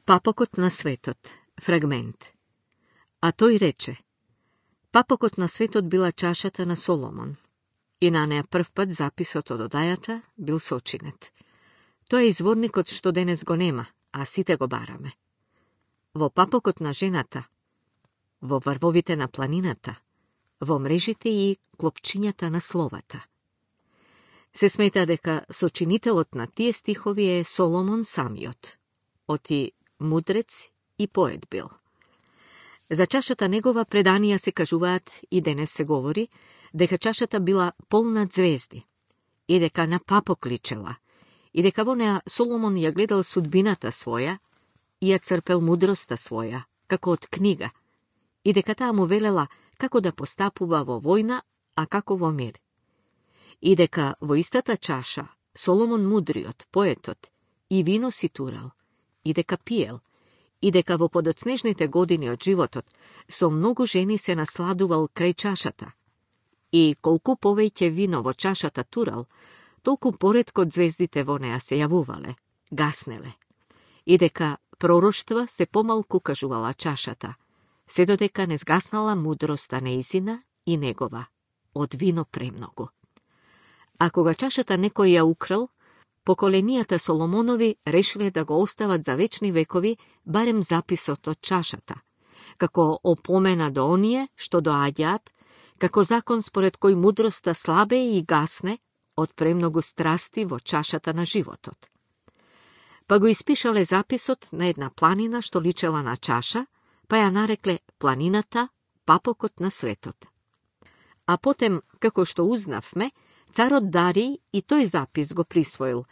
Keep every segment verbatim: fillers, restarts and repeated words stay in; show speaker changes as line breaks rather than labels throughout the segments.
Папокот на светот. Фрагмент. А тој рече: Папокот на светот била чашата на Соломон, и на неа прв пат записот од одајата бил сочинет. Тоа е изворникот што денес го нема, а сите го бараме. Во папокот на жената, во врвовите на планината, во мрежите и клопчињата на словата. Се смета дека сочинителот на тие стихови е Соломон самиот, оти мудрец и поет бил. За чашата негова преданија се кажуваат и денес се говори дека чашата била полна звезди и дека на папок личела и дека во неа Соломон ја гледал судбината своја и ја црпел мудроста своја, како од книга, и дека таа му велела како да постапува во војна, а како во мир. И дека во истата чаша Соломон мудриот, поетот, и вино си турал, и дека пиел, и дека во подоцнежните години од животот со многу жени се насладувал крај чашата. И колку повеќе вино во чашата турал, толку поретко звездите во неа се јавувале, гаснеле. И дека пророштва се помалку кажувала чашата, се додека не сгаснала мудроста неизина и негова, од вино премногу. А кога чашата некој ја украл, поколенијата Соломонови решиле да го остават за вечни векови барем записот од чашата, како опомена до оние што доаѓаат, како закон според кој мудроста слабе и гасне од премногу страсти во чашата на животот. Па го испишале записот на една планина што личела на чаша, па ја нарекле планината Папокот на светот. А потем, како што узнавме, царот Дариј и тој запис го присвоил,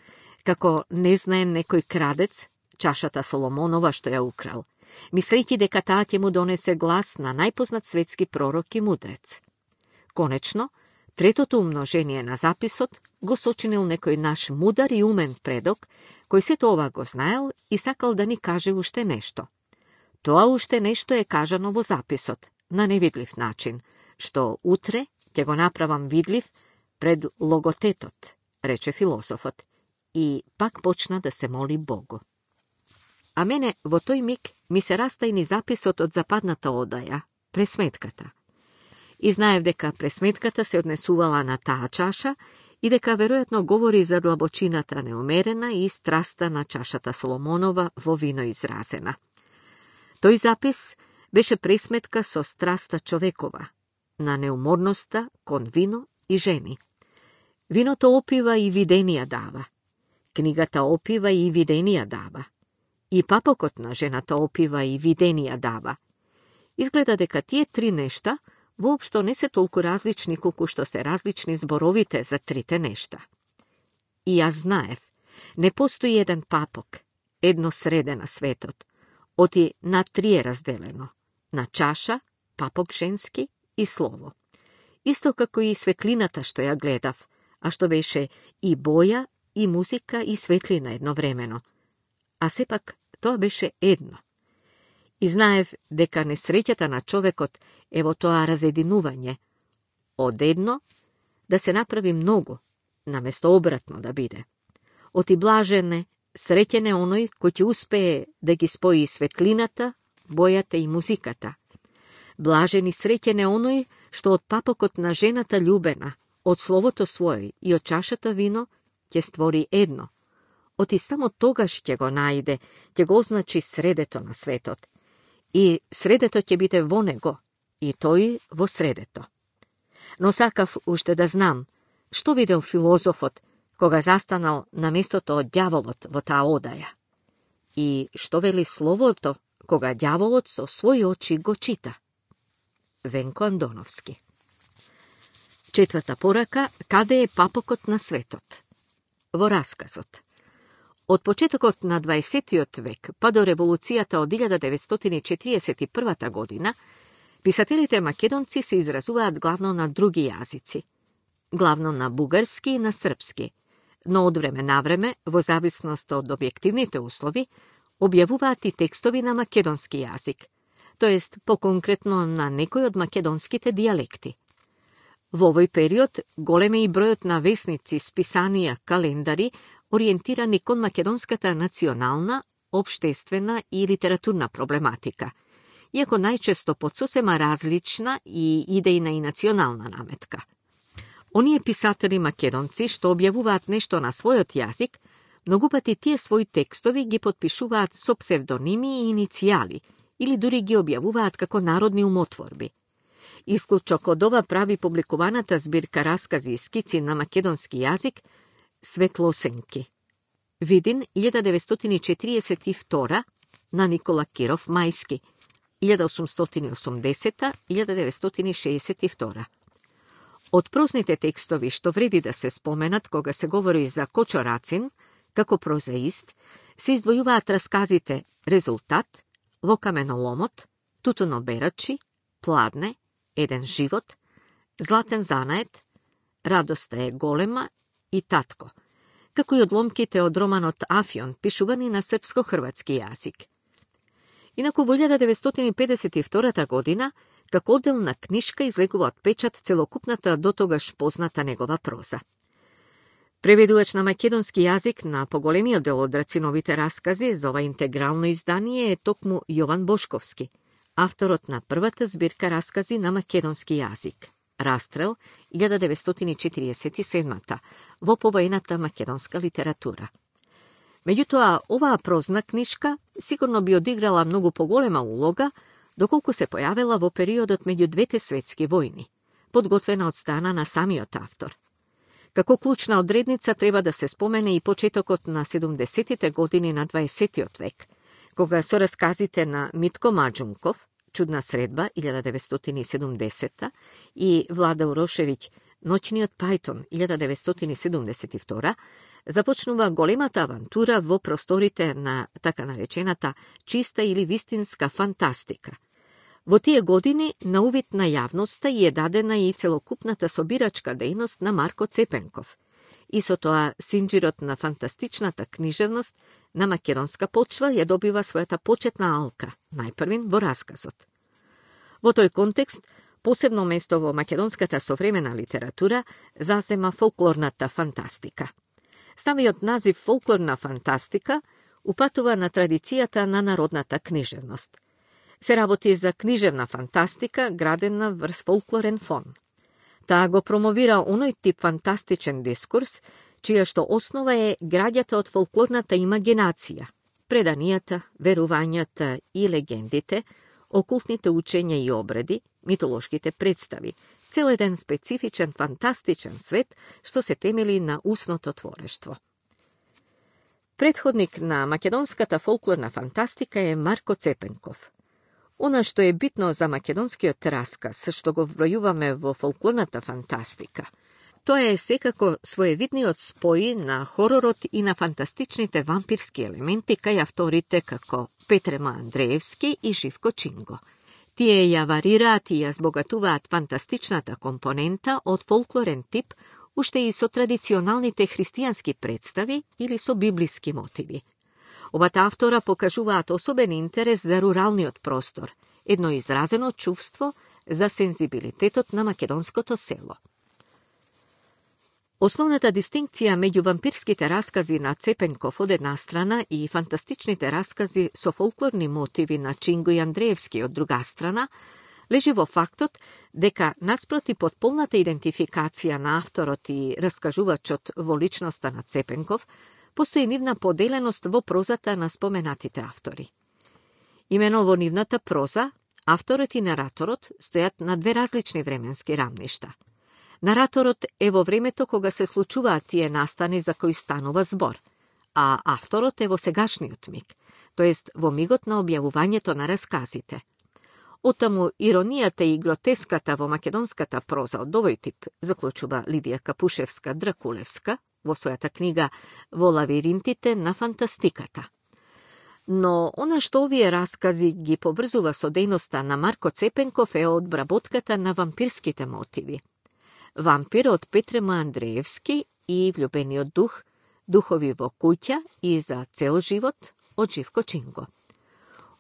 како не знае некој крадец чашата Соломонова што ја украл, мислејќи дека таа ќе му донесе глас на најпознат светски пророк и мудрец. Конечно, третото умножение на записот го сочинил некој наш мудар и умен предок, кој сето ова го знаел и сакал да ни каже уште нешто. Тоа уште нешто е кажано во записот, на невидлив начин, што утре ќе го направам видлив пред логотетот, рече философот, и пак почна да се моли Богу. А мене во тој миг ми се растајни записот од западната одаја, пресметката. И знаев дека пресметката се однесувала на таа чаша и дека веројатно говори за длабочината неумерена и страста на чашата Соломонова во вино изразена. Тој запис беше пресметка со страста човекова, на неуморноста кон вино и жени. Виното опива и виденија дава. Книгата опива и виденија дава. И папокот на жената опива и виденија дава. Изгледа дека тие три нешта воопшто не се толку различни колку што се различни зборовите за трите нешта. И јас знаев, не постои еден папок, едно среде на светот, оти на три е разделено, на чаша, папок женски и слово. Исто како и светлината што ја гледав, а што беше и боја, и музика, и светлина едновремено. А сепак тоа беше едно. И знаев дека несреќата на човекот е во тоа разединување. Од едно да се направи многу, наместо обратно да биде. Оти блажене, среќен е оној кој ќе успее да ги спои светлината, бојата и музиката. Блажен и среќен е оној што од папокот на жената љубена, од словото свој и од чашата вино ќе створи едно. Оти само тогаш ќе го најде, ќе го означи средето на светот. И средето ќе биде во него, и тој во средето. Но сакав уште да знам, што видел филозофот кога застанал на местото од ѓаволот во таа одаја. И што вели словото кога ѓаволот со своји очи го чита. Венко Андоновски. Четврта порака, каде е папокот на светот? Во расказот. Од почетокот на дваесеттиот век па до револуцијата од илјада деветстотини и четириесет и прва година, писателите македонци се изразуваат главно на други јазици, главно на бугарски и на српски, но од време на време, во зависност од објективните услови, објавуваат и текстови на македонски јазик, тоест поконкретно на некој од македонските дијалекти. Во овој период голем е и бројот на весници, списанија, календари, ориентирани кон македонската национална, општествена и литературна проблематика, иако најчесто под сосема различна и идејна и национална наметка. Оние писатели македонци што објавуваат нешто на својот јазик, многу пати тие своји текстови ги подпишуваат со псевдоними и иницијали, или дури ги објавуваат како народни умотворби. Исклучок од ова прави публикуваната збирка раскази и скици на македонски јазик Светлосенки. Видин илјада деветстотини четириесет и втора на Никола Киров Мајски, илјада осумстотини и осумдесета - илјада деветстотини шеесет и втора. Од прозните текстови што вреди да се споменат кога се говори за Кочо Рацин, како прозаист, се издвојуваат расказите Резултат, Во каменоломот, Тутуно берачи, Пладне, Еден живот, Златен занает, Радоста е голема и Татко, како и одломките од романот Афион, пишувани на српско-хрватски јазик. Инаку во илјада деветстотини педесет и втора година, како одделна книшка излегува од печат целокупната дотогаш позната негова проза. Преведувач на македонски јазик на поголемиот дел од Рациновите раскази за ова интегрално издание е токму Јован Бошковски, авторот на првата збирка раскази на македонски јазик. Растрел, илјада деветстотини четириесет и седма во повоената македонска литература. Меѓутоа, оваа прозна книшка сигурно би одиграла многу поголема улога, доколку се појавила во периодот меѓу двете светски војни, подготвена од страна на самиот автор. Како клучна одредница треба да се спомене и почетокот на седумдесетите години на дваесеттиот век, кога со расказите на Митко Маџунков, Чудна средба, илјада деветстотини и седумдесета, и Влада Урошевиќ, Ноќниот пајтон, илјада деветстотини седумдесет и втора, започнува големата авантура во просторите на така наречената чиста или вистинска фантастика. Во тие години на увид на јавноста и е дадена и целокупната собирачка дејност на Марко Цепенков, и со тоа синџирот на фантастичната книжевност на македонска почва ја добива својата почетна алка, најпрвин во расказот. Во тој контекст, посебно место во македонската современа литература зазема фолклорната фантастика. Самиот назив фолклорна фантастика упатува на традицијата на народната книжевност. Се работи за книжевна фантастика градена врз фолклорен фон. Таа го промовира оној тип фантастичен дискурс, чија што основа е граѓата од фолклорната имагинација, преданијата, верувањата и легендите, окултните учења и обреди, митолошките представи, цел еден специфичен фантастичен свет што се темели на устното творештво. Предходник на македонската фолклорна фантастика е Марко Цепенков. Она што е битно за македонскиот расказ, што го вбројуваме во фолклорната фантастика, тоа е секако своевидниот спој на хоророт и на фантастичните вампирски елементи кај авторите како Петрема Андреевски и Живко Чинго. Тие ја варираат и ја збогатуваат фантастичната компонента од фолклорен тип, уште и со традиционалните христијански представи или со библиски мотиви. Обата автора покажуваат особен интерес за руралниот простор, едно изразено чувство за сензибилитетот на македонското село. Основната дистинкција меѓу вампирските раскази на Цепенков од една страна и фантастичните раскази со фолклорни мотиви на Чинго и Андреевски од друга страна, лежи во фактот дека наспроти потполната идентификација на авторот и раскажувачот во личноста на Цепенков, постои нивна поделеност во прозата на споменатите автори. Имено во нивната проза, авторот и нараторот стојат на две различни временски рамништа. Нараторот е во времето кога се случуваат тие настани за кои станува збор, а авторот е во сегашниот миг, тоест во мигот на објавувањето на расказите. Оттаму иронијата и гротеската во македонската проза од овој тип, заклучува Лидија Капушевска-Дракулевска во својата книга «Во лавиринтите на фантастиката». Но она што овие раскази ги поврзува со дејноста на Марко Цепенков е одбработката на вампирските мотиви. Вампир од Петрема Андреевски и Влюбениот дух, Духови во куќа и За цел живот од Живко Чинго.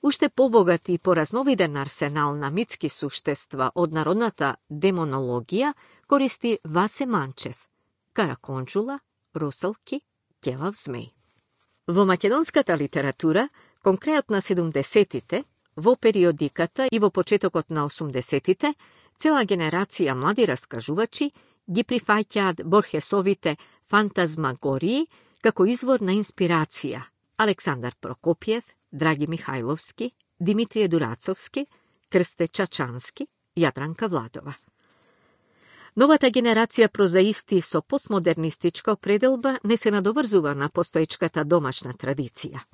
Уште побогат и поразновиден арсенал на митски суштества од народната демонологија користи Васе Манчев, Караконџула, Русалки, Ќелав змеј. Во македонската литература Кон крајот на седумдесетите, во периодиката и во почетокот на осумдесетите, цела генерација млади раскажувачи ги прифаќаат Борхесовите фантазмагории како извор на инспирација. Александар Прокопиев, Драги Михајловски, Димитрije Дурацовски, Крсте Чачански, Јадранка Владова. Новата генерација прозаисти со постмодернистичка определба не се надоврзува на постоечката домашна традиција.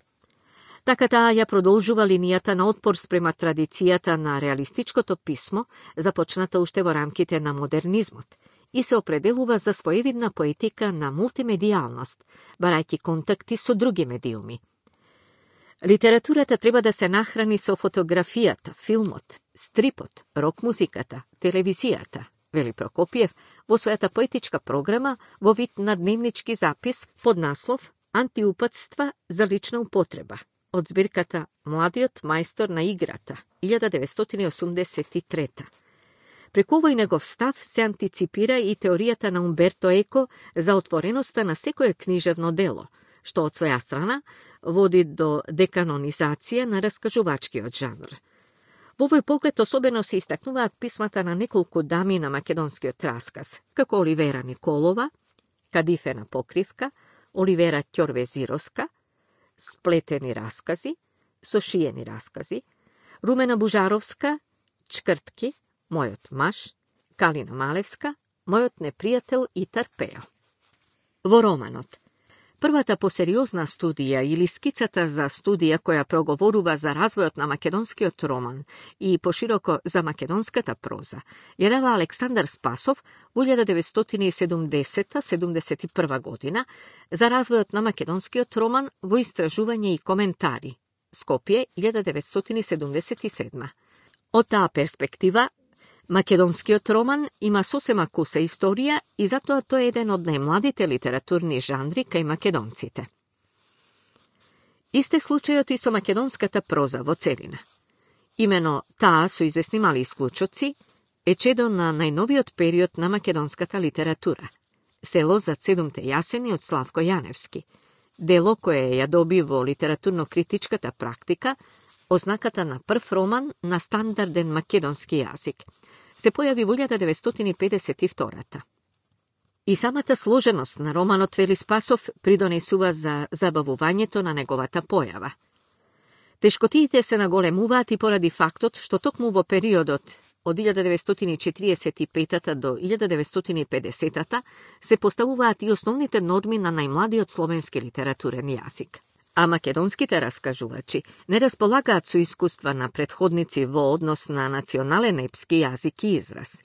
Така таа ја продолжува линијата на отпор спрема традицијата на реалистичкото писмо, започната уште во рамките на модернизмот, и се определува за своевидна поетика на мултимедијалност, барајќи контакти со други медиуми. Литературата треба да се нахрани со фотографијата, филмот, стрипот, рок-музиката, телевизијата, вели Прокопиев во својата поетичка програма во вид на дневнички запис под наслов «Антиупатства за лична употреба» од збирката «Младиот мајстор на играта» илјада деветстотини осумдесет и трета. Преку овој негов став се антиципира и теоријата на Умберто Еко за отвореноста на секое книжевно дело, што од своја страна води до деканонизација на раскажувачкиот жанр. Во овој поглед особено се истакнуваат писмата на неколку дами на македонскиот расказ, како Оливера Николова, Кадифена покривка, Оливера Ќорвезировска, Сплетени раскази, Сошиени раскази, Румена Бужаровска, Чкртки, Мојот маж, Калина Малевска, Мојот непријател и Тарпео. Во романот, првата посериозна студија или скицата за студија која проговорува за развојот на македонскиот роман и пошироко за македонската проза, ја дава Александар Спасов во илјада деветстотини седумдесета седумдесет и прва година за развојот на македонскиот роман во истражување и коментари, Скопје илјада деветстотини седумдесет и седма. Од таа перспектива, македонскиот роман има сосема куса историја и затоа тој е еден од најмладите литературни жанри кај македонците. Исте случајот и со македонската проза во целина. Имено таа, со известни мали исклучоци, е чедо на најновиот период на македонската литература. Село зад седумте јасени од Славко Јаневски, дело кое ја доби во литературно-критичката практика ознаката на прв роман на стандарден македонски јазик. Се појави во илјада деветстотини педесет и втората. И самата сложеност на романот, вели Спасов, придонесува за забавувањето на неговата појава. Тешкотиите се наголемуваат и поради фактот што токму во периодот од илјада деветстотини четириесет и петата до илјада деветстотини и педесетата се поставуваат и основните норми на најмладиот словенски литературен јазик. А македонските раскажувачи не располагаат со искуства на претходници во однос на национален епски јазик и израз.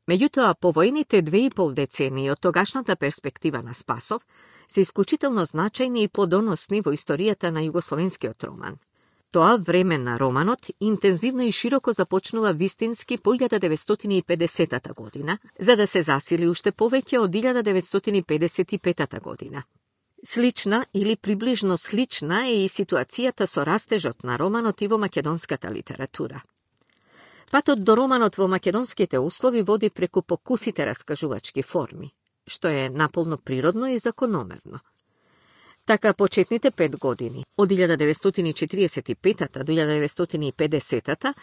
Меѓутоа, повојните две и пол децении од тогашната перспектива на Спасов се исклучително значајни и плодоносни во историјата на југословенскиот роман. Тоа време на романот интензивно и широко започнува вистински по илјада деветстотини и педесетата година, за да се засили уште повеќе од илјада деветстотини педесет и петата година. Слична или приближно слична е и ситуацијата со растежот на романот и во македонската литература. Патот до романот во македонските услови води преку покусите раскажувачки форми, што е наполно природно и закономерно. Така почетните пет години, од илјада деветстотини и четириесет и петата до илјада деветстотини и педесетата,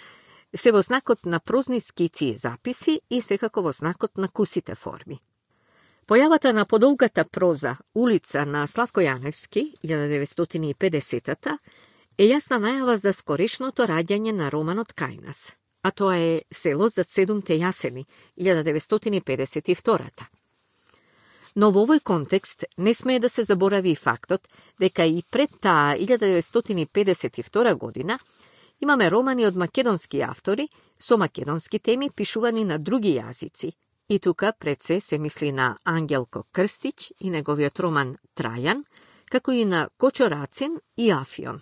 се во знакот на прозни скици и записи и секако во знакот на кусите форми. Појавата на подолгата проза Улица на Славко Јаневски, илјада деветстотини и педесетата, е јасна најава за скорешното раѓање на романот кај нас, а тоа е Село зад седумте јасени, илјада деветстотини и педесет и втората. Но во овој контекст не смее да се заборави и фактот дека и пред таа илјада деветстотини и педесет и втора година имаме романи од македонски автори со македонски теми пишувани на други јазици. И тука пред се се мисли на Ангелко Крстич и неговиот роман Трајан, како и на Кочо Рацин и Афион.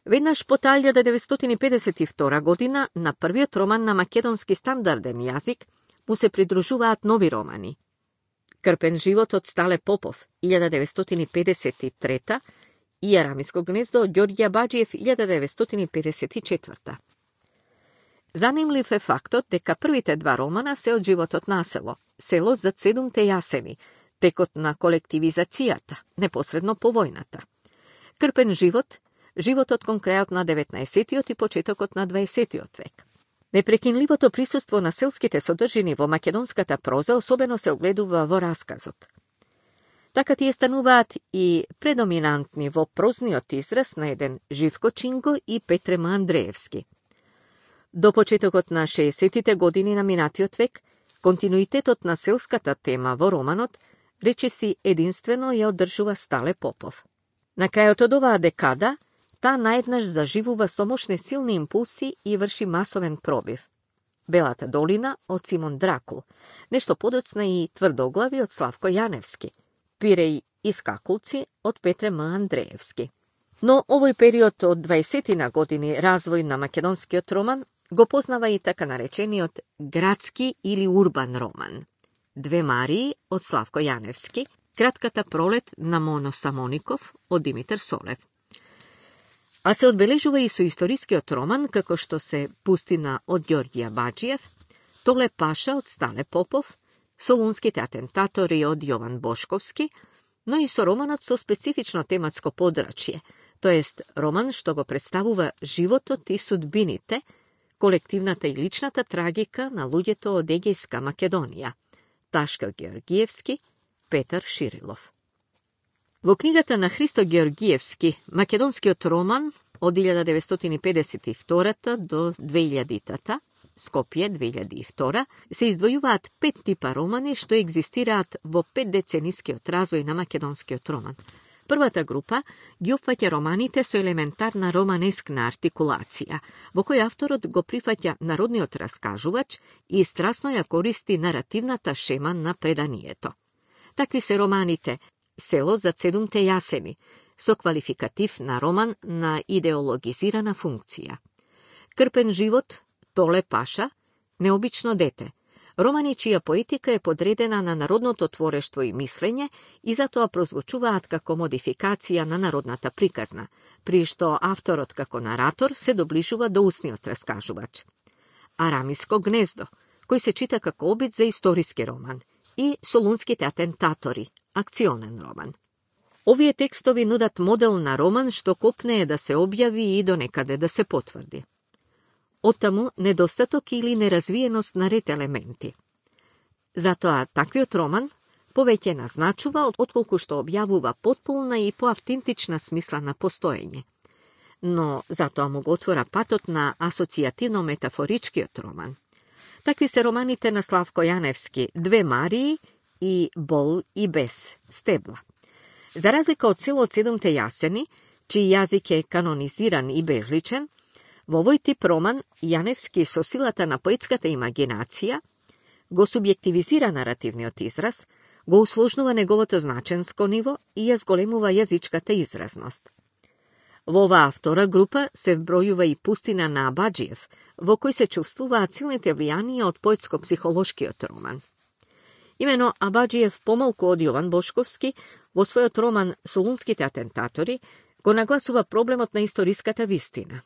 Веднаш по таа илјада деветстотини и педесет и втора година на првиот роман на македонски стандарден јазик му се придружуваат нови романи. Крпен живот од Стале Попов, илјада деветстотини и педесет и трета и Арамиско гнездо од Ѓорѓе Баџиев, илјада деветстотини и педесет и четврта. Занимлив е фактот дека првите два романа се од животот на село, Село зад седумте јасени, текот на колективизацијата, непосредно по војната. Крпен живот животот кон крајот на деветнаесеттиот и почетокот на дваесеттиот век. Непрекинливото присуство на селските содржини во македонската проза особено се огледува во расказот. Така тие стануваат и предоминантни во прозниот израз на еден Живко Чинго и Петрема Андреевски. До почетокот на шеесеттите години на минатиот век, континуитетот на селската тема во романот речиси единствено ја одржува Стале Попов. На крајот од оваа декада, таа наеднаш заживува со мощни силни импулси и врши масовен пробив. Белата долина од Симон Дракул, нешто подоцна и Тврдоглави од Славко Јаневски, Пиреј и Скакулци од Петре М. Андреевски. Но овој период од дваесеттина години развој на македонскиот роман го познава и така наречениот градски или урбан роман. Две Марии од Славко Јаневски, Кратката пролет на Моно Самоников од Димитар Солев. А се одбележува и со историскиот роман, како што се Пустина од Ѓорѓија Баџиев, Толе Паша од Стале Попов, Солунските атентатори од Јован Бошковски, но и со романот со специфично тематско подрачје, тоест роман што го представува животот и судбините, колективната и личната трагика на луѓето од Егејска Македонија, Ташко Георгиевски, Петар Ширилов. Во книгата на Христо Георгиевски, македонскиот роман од илјада деветстотини и педесет и втора до две илјадитата, Скопје две илјади и втора, се издвојуваат пет типа романи што екзистираат во петдеценискиот развој на македонскиот роман. Првата група ги опфаќа романите со елементарна романескна артикулација, во кој авторот го прифаќа народниот раскажувач и страсно ја користи наративната шема на преданието. Такви се романите Село за седумте јасени, со квалификатив на роман на идеологизирана функција. Крпен живот, Толе Паша, Необично дете, романи чија поетика е подредена на народното творештво и мислење и затоа прозвучуваат како модификација на народната приказна, при што авторот како наратор се доближува до устниот раскажувач. Арамиско гнездо, кој се чита како обид за историски роман, и Солунските атентатори, акционен роман. Овие текстови нудат модел на роман што копнее да се објави и до некаде да се потврди. Оттаму недостаток или неразвиеност на ред елементи. Затоа таквиот роман повеќе назначува отколку што објавува потполна и поавтентична смисла на постоење. Но затоа му го отвора патот на асоцијативно-метафоричкиот роман. Такви се романите на Славко Јаневски, Две Марии и Бол и без стебла. За разлика од Село од седумте јасени, чиј јазик е канонизиран и безличен, во овој тип роман Јаневски со силата на поетската имагинација го субјективизира наративниот израз, го усложнува неговото значенско ниво и ја зголемува јазичката изразност. Во оваа втора група се вбројува и Пустина на Баџиев, во кој се чувствуваат силните влијанија од поетско-психолошкиот роман. Имено Абаџиев, помалку од Јован Бошковски, во својот роман Солунските атентатори, го нагласува проблемот на историската вистина.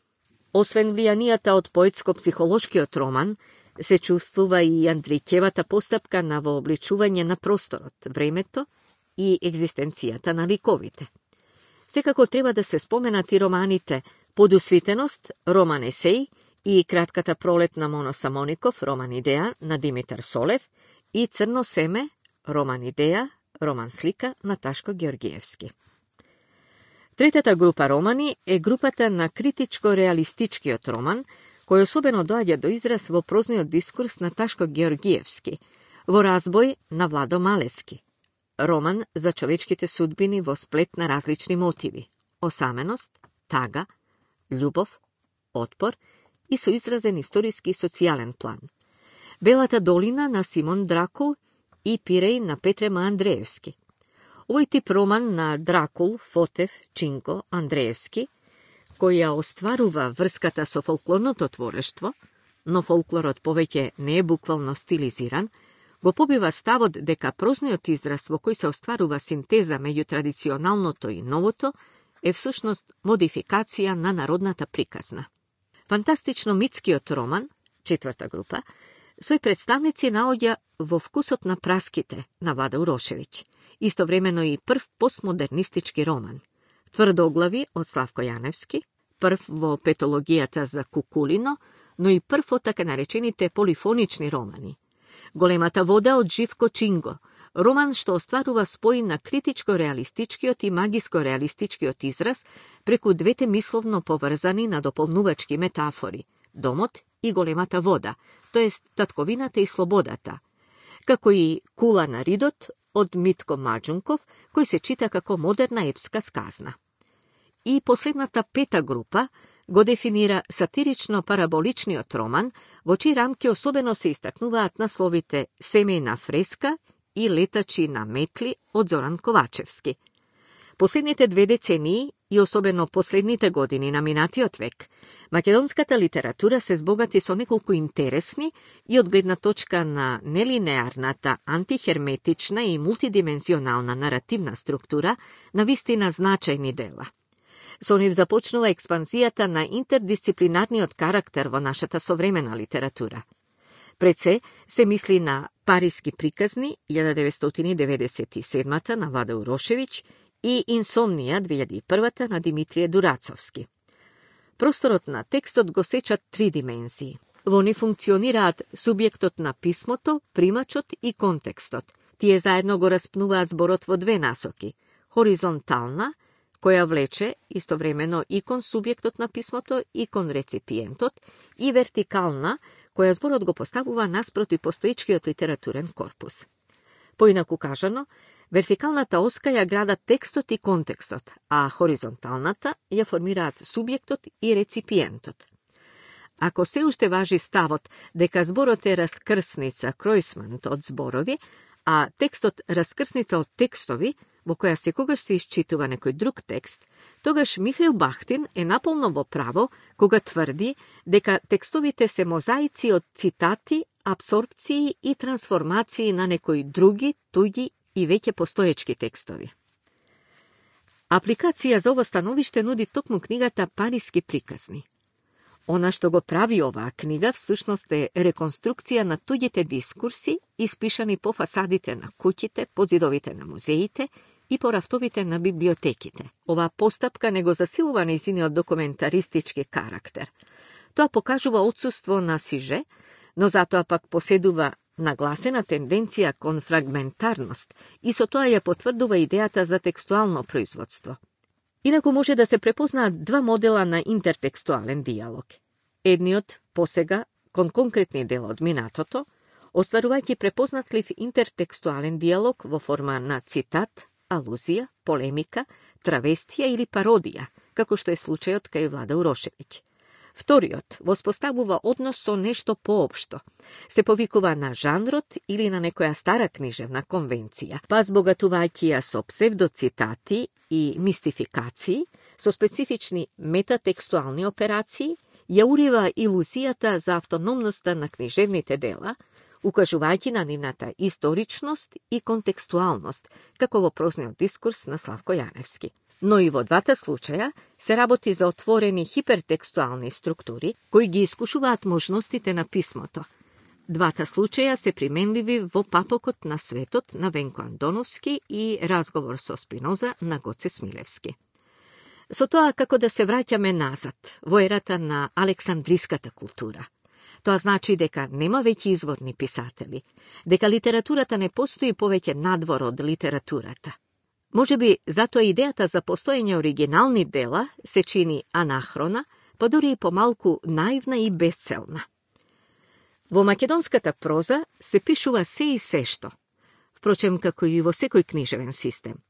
Освен влијанијата од поетско-психолошкиот роман, се чувствува и Андрикевата постапка на вообличување на просторот, времето и екзистенцијата на ликовите. Секако треба да се споменат и романите Подусвитеност, роман есеј, и Кратката пролет на Моно Самоников, роман идеја на Димитар Солев, и Црно семе, роман идеја, роман слика на Ташко Георгиевски. Третата група романи е групата на критичко-реалистичкиот роман, кој особено доаѓа до израз во прозниот дискурс на Ташко Георгиевски, во разбој на Владо Малески. Роман за човечките судбини во сплет на различни мотиви – осаменост, тага, љубов, отпор и со изразен историски и социјален план. Белата долина на Симон Дракул и Пиреј на Петре М. Андреевски. Овој тип роман на Дракул, Фотев, Чинко, Андреевски, која остварува врската со фолклорното творештво, но фолклорот повеќе не е буквално стилизиран, го побива ставот дека прозниот израз во кој се остварува синтеза меѓу традиционалното и новото е всушност модификација на народната приказна. Фантастично-митскиот роман, четврта група, свој представници наоѓа во вкусот на праските на Влада Урошевиќ, истовремено и прв постмодернистички роман. Тврдоглави од Славко Јаневски, прв во петологијата за Кукулино, но и прв од така наречените полифонични романи. Големата вода од Живко Чинго, роман што остварува спој на критичко-реалистичкиот и магиско-реалистичкиот израз преку двете мисловно поврзани на дополнувачки метафори – домот и големата вода, тоест татковината и слободата, како и Кула на Ридот од Митко Маџунков, кој се чита како модерна епска сказна. И последната пета група го дефинира сатирично-параболичниот роман, во чии рамки особено се истакнуваат насловите Семејна фреска и Летачи на метли од Зоран Ковачевски. Последните две децении и особено последните години на минатиот век, македонската литература се збогати со неколку интересни и од гледна точка на нелинеарната, антихерметична и мултидимензионална наративна структура на вистина значајни дела. Со нив започнува експанзијата на интердисциплинарниот карактер во нашата современа литература. Пред се се мисли на Париски приказни илјада деветстотини деветдесет и седма на Владе Урошевиќ и Инсомнија две илјади и прва на Димитрije Дурацовски. Просторот на текстот го сечат три димензии. Во нив функционираат субјектот на писмото, примачот и контекстот. Тие заедно го распнуваат зборот во две насоки. Хоризонтална, која влече истовремено и кон субјектот на писмото и кон реципиентот, и вертикална, која зборот го поставува наспроти постоечкиот литературен корпус. Поинаку кажано, вертикалната оска ја градат текстот и контекстот, а хоризонталната ја формираат субјектот и реципиентот. Ако се уште важи ставот дека зборот е раскрсница, кројсмант од зборови, а текстот раскрсница од текстови, во која секогаш се исчитува некој друг текст, тогаш Михаил Бахтин е наполно во право кога тврди дека текстовите се мозаици од цитати, апсорбции и трансформации на некои други, туѓи и веќе постоечки текстови. Апликација за ова становиште нуди токму книгата Париски приказни. Она што го прави оваа книга всушност е реконструкција на туѓите дискурси, испишани по фасадите на куќите, по зидовите на музеите и по рафтовите на библиотеките. Оваа постапка не го засилува нејзиниот документаристички карактер. Тоа покажува отсуство на сиже, но затоа пак поседува нагласена тенденција кон фрагментарност и со тоа ја потврдува идејата за текстуално производство. Инаку може да се препознаат два модела на интертекстуален диалог. Едниот посега кон конкретни дела од минатото, остварувајќи препознатлив интертекстуален диалог во форма на цитат, алузија, полемика, травестија или пародија, како што е случајот кај Влада Урошевиќ. Вториот воспоставува однос со нешто поопшто. Се повикува на жанрот или на некоја стара книжевна конвенција, па збогатувајќи ја со псевдоцитати и мистификации, со специфични метатекстуални операции, ја урива илузијата за автономноста на книжевните дела, укажувајќи на нивната историчност и контекстуалност, како во прозниот дискурс на Славко Јаневски. Но и во двата случаја се работи за отворени хипертекстуални структури, кои ги искушуваат можностите на писмото. Двата случаја се применливи во Папокот на светот на Венко Андоновски и Разговор со Спиноза на Гоце Смилевски. Со тоа како да се враќаме назад, во ерата на александриската култура. Тоа значи дека нема веќе изворни писатели, дека литературата не постои повеќе надвор од литературата. Може би затоа идејата за постоење оригинални дела се чини анахрона, па дури и помалку наивна и безцелна. Во македонската проза се пишува се и се што, впрочем како и во секој книжевен систем.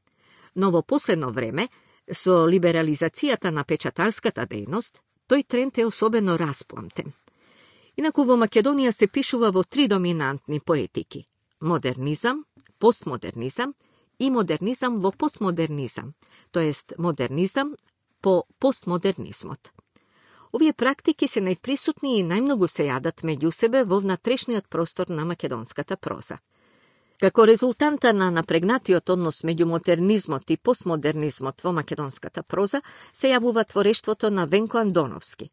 Но во последно време, со либерализацијата на печатарската дејност, тој тренд е особено распламтен. Инаку во Македонија се пишува во три доминантни поетики – модернизам, постмодернизам и модернизам во постмодернизам, тоест модернизам по постмодернизмот. Овие практики се најприсутни и најмногу се јадат меѓу себе во внатрешниот простор на македонската проза. Како резултанта на напрегнатиот однос меѓу модернизмот и постмодернизмот во македонската проза се јавува творештвото на Венко Андоновски.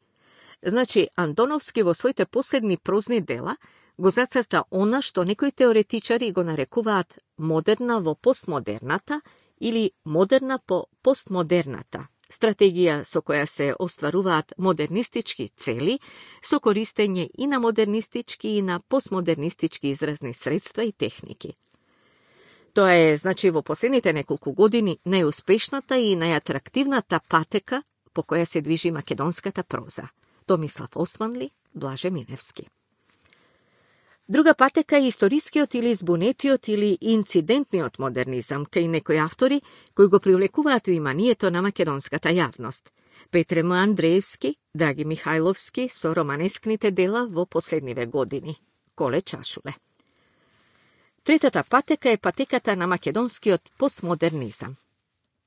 Значи, Андоновски во своите последни прозни дела го зацрта она што некои теоретичари го нарекуваат модерна во постмодерната или модерна по постмодерната, стратегија со која се остваруваат модернистички цели, со користење и на модернистички и на постмодернистички изразни средства и техники. Тоа е, значи, во последните неколку години најуспешната и најатрактивната патека по која се движи македонската проза. Томислав Османли, Блаже Миневски. Друга патека е историскиот или збунетиот или инцидентниот модернизам, кај некои автори кои го привлекуваат вниманието на македонската јавност. Петре М. Андреевски, Драги Михајловски со романескните дела во последниве години. Коле Чашуле. Третата патека е патеката на македонскиот постмодернизам.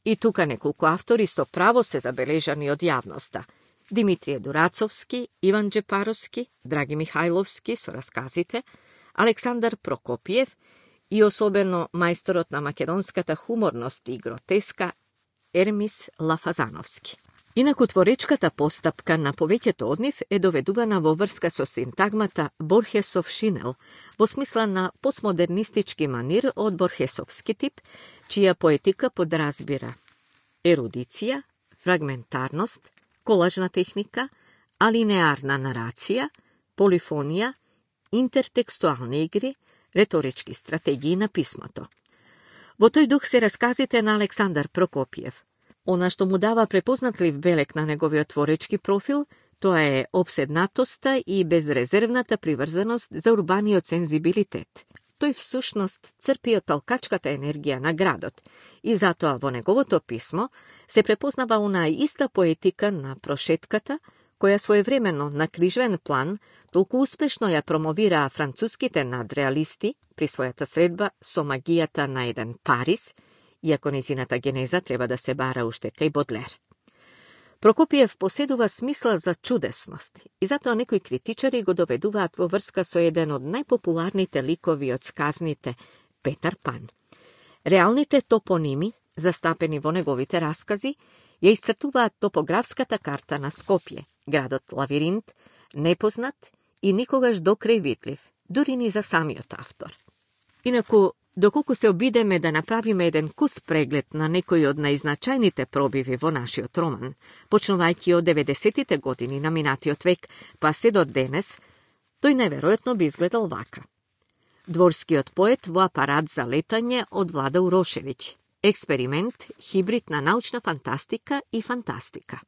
И тука неколку автори со право се забележани од јавноста. Димитрije Дурацовски, Иван Джепаровски, Драги Михајловски со расказите, Александар Прокопиев и особено мајсторот на македонската хуморност и гротеска Ермис Лафазановски. Инаку творечката постапка на повеќето од нив е доведувана во врска со синтагмата Борхесов шинел, во смисла на постмодернистички манир од борхесовски тип, чија поетика подразбира ерудиција, фрагментарност, колажна техника, алинеарна нарација, полифонија, интертекстуални игри, реторички стратегии на писмото. Во тој дух се расказите на Александар Прокопиев. Она што му дава препознатлив белег на неговиот творечки профил, тоа е обседнатоста и безрезервната приврзаност за урбаниот сензибилитет. Тој всушност црпи од талкачката енергија на градот и затоа во неговото писмо се препознава онаа иста поетика на прошетката, која своевременно на книжвен план толку успешно ја промовираа француските надреалисти при својата средба со магијата на еден Парис, иако незината генеза треба да се бара уште кај Бодлер. Прокопиев поседува смисла за чудесност и затоа некои критичари го доведуваат во врска со еден од најпопуларните ликови од сказните Петар Пан. Реалните топоними, застапени во неговите раскази, ја исцртуваат топографската карта на Скопје, градот лавиринт, непознат и никогаш докрај видлив, дури ни за самиот автор. Инаку, доколку се обидеме да направиме еден кус преглед на некои од најзначајните пробиви во нашиот роман, почнувајќи од деветдесетите години на минатиот век, па се до денес, тој неверојатно би изгледал вака. Дворскиот поет во апарат за летање од Влада Урошевиќ. Експеримент, хибрид на научна фантастика и фантастика.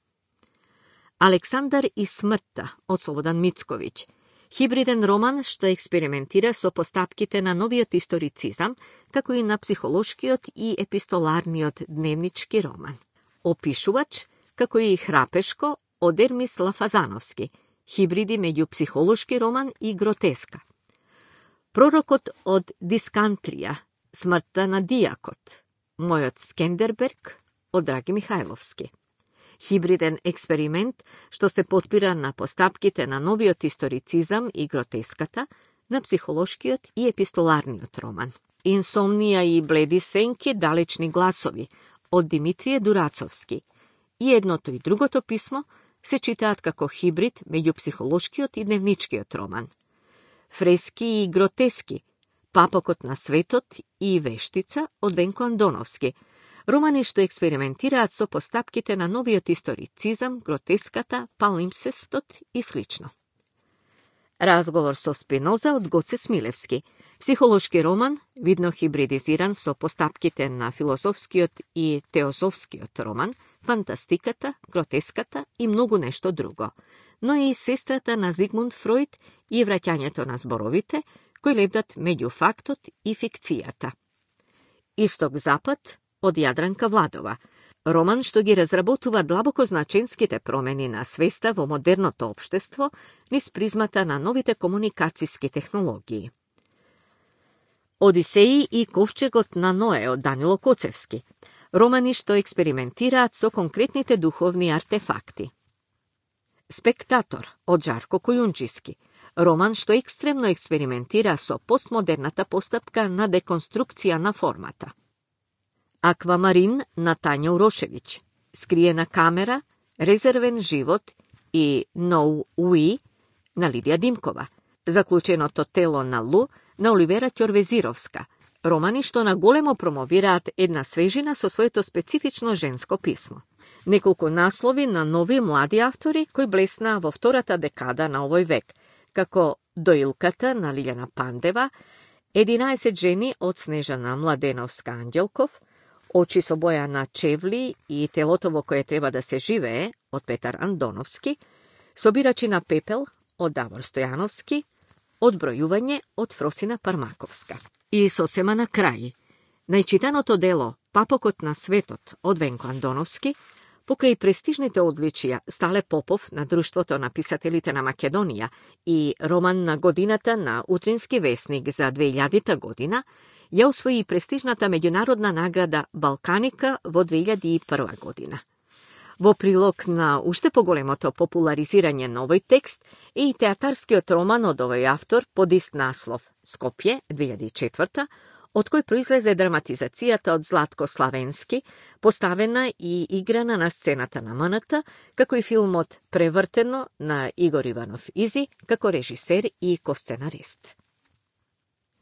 Александар и смртта од Слободан Мицковиќ. Хибриден роман што експериментира со постапките на новиот историцизам, како и на психолошкиот и епистоларниот дневнички роман. Опишувач, како и Храпешко од Ермис Лафазановски, хибриди меѓу психолошки роман и гротеска. Пророкот од Дискантрија, смртта на Дијакот, Мојот Скендерберг од Драги Михајловски. Хибриден експеримент што се потпира на постапките на новиот историцизам и гротеската, на психолошкиот и епистоларниот роман. Инсомнија и бледи сенки, далечни гласови од Димитрije Дурацовски. И едното и другото писмо се читаат како хибрид меѓу психолошкиот и дневничкиот роман. Фрески и гротески, Папокот на светот и Вештица од Венко Андоновски, романи што експериментираат со постапките на новиот историцизам, гротеската, палимпсестот и слично. Разговор со Спиноза од Гоце Смилевски, психолошки роман, видно хибридизиран со постапките на философскиот и теозофскиот роман, фантастиката, гротеската и многу нешто друго, но и сестрата на Зигмунд Фројд и враќањето на зборовите, кои лебдат меѓу фактот и фикцијата. Исток-запад од Јадранка Владова, роман што ги разработува длабоко значенските промени на свеста во модерното општество низ призмата на новите комуникацијски технологии. Одисеи и ковчегот на Ное од Данило Коцевски, романи што експериментираат со конкретните духовни артефакти. Спектатор од Жарко Којунџиски, роман што екстремно експериментира со постмодерната постапка на деконструкција на формата. Аквамарин на Тања Урошевиќ, Скриена камера, Резервен живот и No We на Лидија Димкова, Заклученото тело на Лу на Оливера Ќорвезировска, Романи што наголемо промовираат една свежина со своето специфично женско писмо. Неколку наслови на нови млади автори кои блеснаа во втората декада на овој век, како Доилката на Лиљана Пандева, единаесет жени од Снежана Младеновска-Ангелков, Очи со боја на чевли и Телото во кое треба да се живее од Петар Андоновски, Собирачи на пепел од Давор Стојановски, Одбројување од Фросина Пармаковска. И сосема на крај, најчитаното дело Папокот на светот од Венко Андоновски, покрај престижните одличија Стале Попов на Друштвото на писателите на Македонија и роман на годината на Утрински весник за две илјадета година, ја освои престижната меѓународна награда Балканика во две илјади и прва година. Во прилог на уште поголемото популаризирање на овој текст е и театарскиот роман од овој автор под ист наслов Скопје две илјади и четврта, од кој произлезе драматизацијата од Златко Славенски, поставена и играна на сцената на МНТ, како и филмот Превртено на Игор Иванов Изи, како режисер и косценарист.